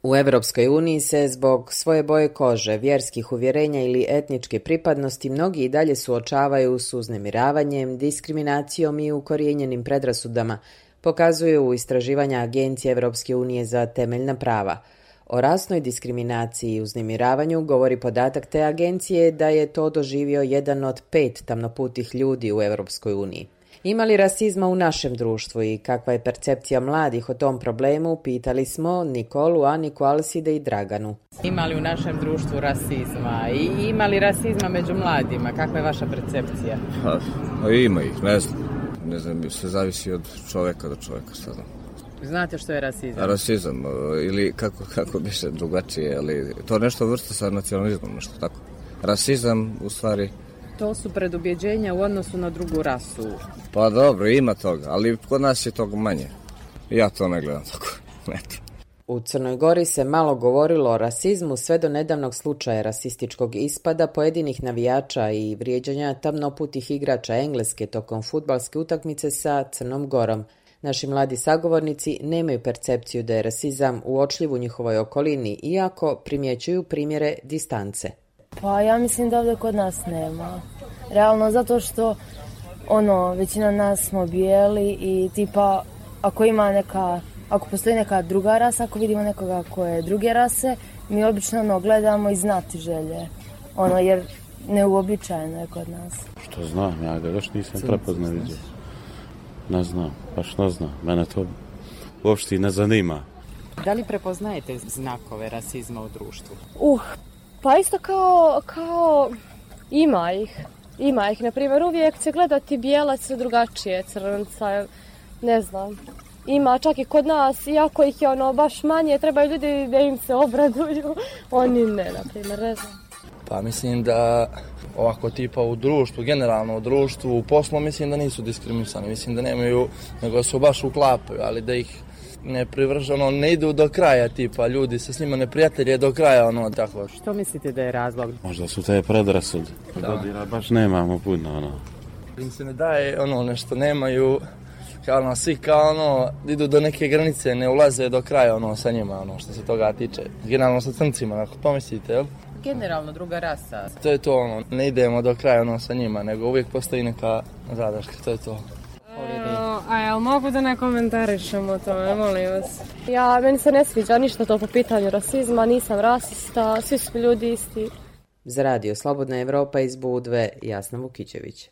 U Europskoj uniji se zbog svoje boje kože, vjerskih uvjerenja ili etničke pripadnosti mnogi i dalje suočavaju s uznemiravanjem, diskriminacijom i ukorijenjenim predrasudama, pokazuju istraživanja Agencije Europske unije za temeljna prava. O rasnoj diskriminaciji i uznemiravanju govori podatak te agencije da je to doživio 1 od 5 tamnoputih ljudi u Europskoj uniji. Ima li rasizma u našem društvu i kakva je percepcija mladih o tom problemu, pitali smo Nikolu, Aniku, Alside i Draganu. Ima li u našem društvu rasizma i ima li rasizma među mladima? Kakva je vaša percepcija? Ima ih, ne znam, sve zavisi od čovjeka do čovjeka sada. Znate što je rasizam? Rasizam, ili kako bi se drugačije, ali to nešto vrsta sa nacionalizmom, nešto tako. Rasizam, u stvari... To su predubjeđenja u odnosu na drugu rasu. Pa dobro, ima toga, ali kod nas je toga manje. Ja to ne gledam tako. U Crnoj Gori se malo govorilo o rasizmu sve do nedavnog slučaja rasističkog ispada pojedinih navijača i vrijeđanja tamnoputih igrača Engleske tokom fudbalske utakmice sa Crnom Gorom. Naši mladi sagovornici nemaju percepciju da je rasizam uočljiv u njihovoj okolini, iako primjećuju primjere distance. Pa ja mislim da ovdje kod nas nema. Realno zato što većina nas smo bijeli i tipa ako postoji neka druga rasa, ako vidimo nekoga koje je druge rase, mi obično gledamo i znati želje. Jer neuobičajeno je kod nas. Što znam, ja ga još nisam prepoznao vidio. Ne znam, baš ne znam. Mene to uopšte ne zanima. Da li prepoznajete znakove rasizma u društvu? Pa isto kao ima ih. Ima ih, na primjer, uvijek će gledati bijelac drugačije, crnca, ne znam. Ima čak i kod nas, iako ih je baš manje, trebaju ljudi da im se obraduju. Oni ne, na primjer, ne znam. Pa mislim da ovako tipa u društvu, generalno u društvu, u poslu, mislim da nisu diskriminisani, mislim da nemaju, nego su baš uklapaju, ali da ih ne privrženo, ne idu do kraja, tipa ljudi se s njima ne prijatelje do kraja, tako. Što mislite da je razlog? Možda su te predrasude. Godina baš nemamo puno, Im se ne daje, nešto nemaju, svi idu do neke granice, ne ulaze do kraja, sa njima, što se toga tiče. Generalno sa crncima, ako pomislite, jel? Generalno druga rasa. To je to, ne idemo do kraja, sa njima, nego uvijek postoji neka zadrška, to je to. Jel mogu da ne komentarišem o tome, molim vas? Meni se ne sviđa ništa to po pitanju rasizma, nisam rasista, svi su ljudi isti. Za Radio Slobodna Evropa iz Budve, Jasna Vukićević.